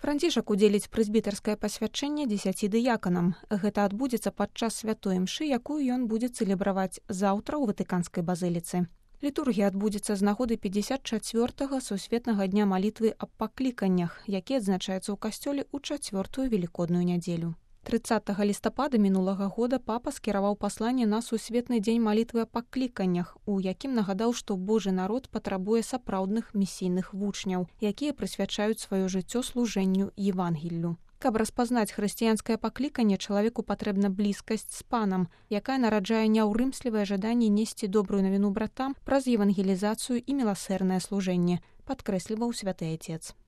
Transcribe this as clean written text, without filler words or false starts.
Францішак удзеліць прэзбітарскае пасвячэнне 10 дыяканам. Гэта адбудзецца падчас святой імшы, якую ён будзе цэлебраваць заўтра ў Ватыканскай базыліцы. Літургія адбудзецца з нагоды 54-го сусветнага дня малітвы аб пакліканнях, які адзначаецца ў касцёле ў 4-ю велікодную нядзелю. 30 лістапада мінулага года папа скіраваў пасланне на сусветны дзень малітвы аб пакліканнях, у якім нагадаў, што Божы народ патрабуе сапраўдных місійных вучняў, якія прысвячаюць сваё жыццё служэнню Евангеллю. Каб распазнаць хрысціянскае пакліканне, чалавеку патрэбна блізкасць з панам, якая нараджае няўрымслівае жаданне несці добрую навіну братам праз евангелізацыю і міласэрнае служэнне, падкрэсліваў святы Айцец.